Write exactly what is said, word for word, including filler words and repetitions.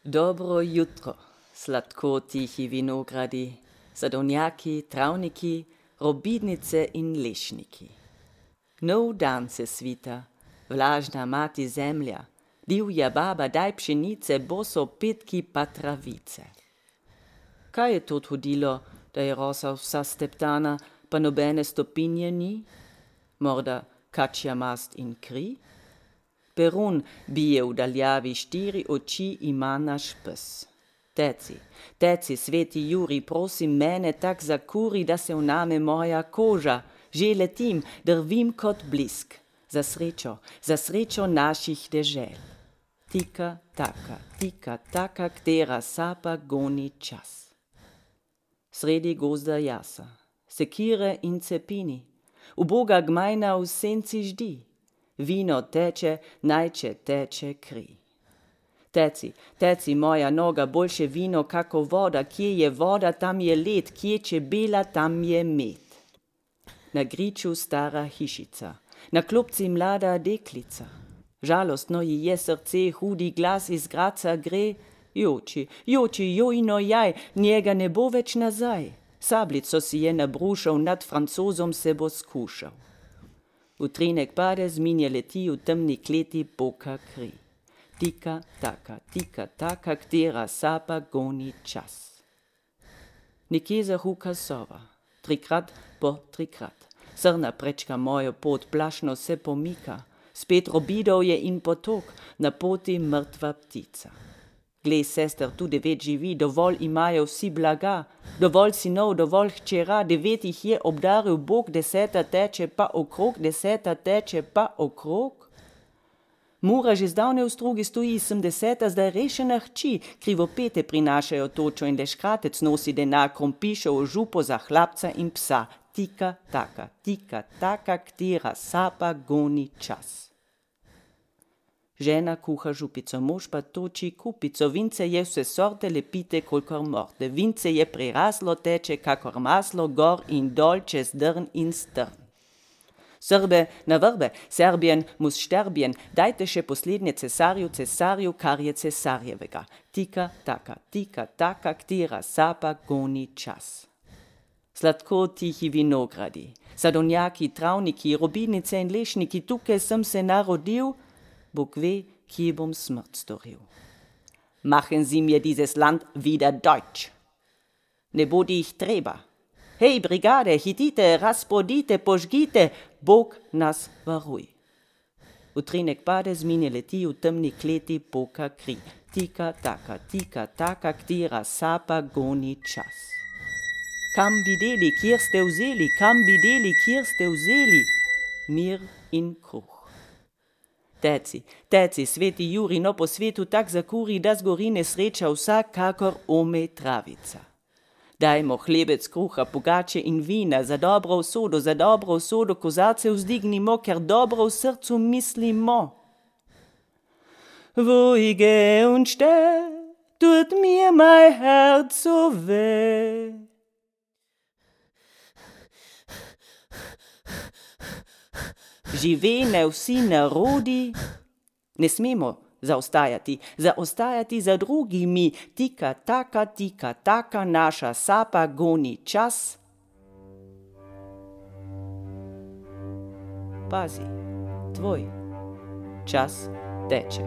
Dobro jutro, sladko tihi vinogradi, sadovnjaki, travniki, robidnice in lešniki. Nov dan se svita, vlažna mati zemlja, divja baba daj pšenice, boso petki pa travice. Kaj je to hodilo, da je rosa vsa steptana, pa nobene stopinje ni? Morda kačja mast in kri? Perun bije v daljavi, štiri oči ima naš pes. Teci, teci, sveti Juri, prosim mene tak zakuri, da se vname moja koža. Že letim, drvim kot blisk. Za srečo, za srečo naših dežel. Tika, taka, tika, taka, ktera sapa goni čas. Sredi gozda jasa, sekire in cepini, uboga gmajna v senci ždi. Vino teče, najče teče kri. Teci, teci, moja noga, boljše vino kako voda, kje je voda, tam je led, kje čebela, tam je med. Na griču stara hišica, na klopci mlada deklica. Žalostno ji je srce, hudi glas iz Graca gre. Joči, joči, jojno jaj, njega ne bo več nazaj. Sablico si je nabrušal, nad Francozom se bo skušal. Utrinek pade, zmije leti, v temni kleti poka kri. Tika, taka, tika, taka, ktera sapa goni čas. Nekje zahuka sova, trikrat po trikrat. Srna prečka mojo pot, plašno se pomika. Spet robidov je in potok, na poti mrtva ptica. Glej, sester, tu devet živi, dovolj imajo vsi blaga, dovolj sinov, dovolj hčera, devet jih je obdaril Bog, deseta teče pa okrog, deseta teče pa okrog. Mura že zdavne v strugi stoji, sem deseta zdaj rešena hči, krivopete prinašajo točo in deškratec nosi denar, krompišev v župo za hlapca in psa. Tika, taka, tika, taka, ktera sapa goni čas. Žena kuha župico, mož pa toči kupico, vince je vse sorte, lepite kolikor morte. Vince je preraslo, teče kakor maslo, gor in dol, čez drn in strn. Srbe na vrbe, Serbien mus šterbien, dajte še poslednje cesarju, cesarju, kar je cesarjevega. Tika, taka, tika, taka, ktera sapa goni čas. Sladko tihi vinogradi, sadovnjaki, travniki, robidnice in lešniki, tukaj sem se narodil, Bog ve, kje bom smrt storil. Machen Sie mir dieses Land wieder deutsch. Ne bodi jih treba. Hej, brigade, hitite, razpodite, požgite, Bog nas varuj. Utrinek pade, zmine leti, v temni kleti poka kri. Tika, taka, tika, taka, ktera sapa goni čas. Kam bi deli, kjer ste vzeli, kam bi deli, kjer ste vzeli? Mir in kruh. Teci, teci, sveti Juri, no po svetu tak zakuri, da zgori nesreča vsak, kakor ome travica. Dajmo hlebec kruha, pogače in vina, za dobro usodo, za dobro usodo, kozarce vzdignimo, ker dobro v srcu mislimo. Wo ich geh und steh, tut mir mein Herz so weh. Živene vsi narodi, ne smemo zaostajati, zaostajati za drugimi, tika, taka, tika, taka, naša sapa goni čas. Pazi, tvoj čas teče.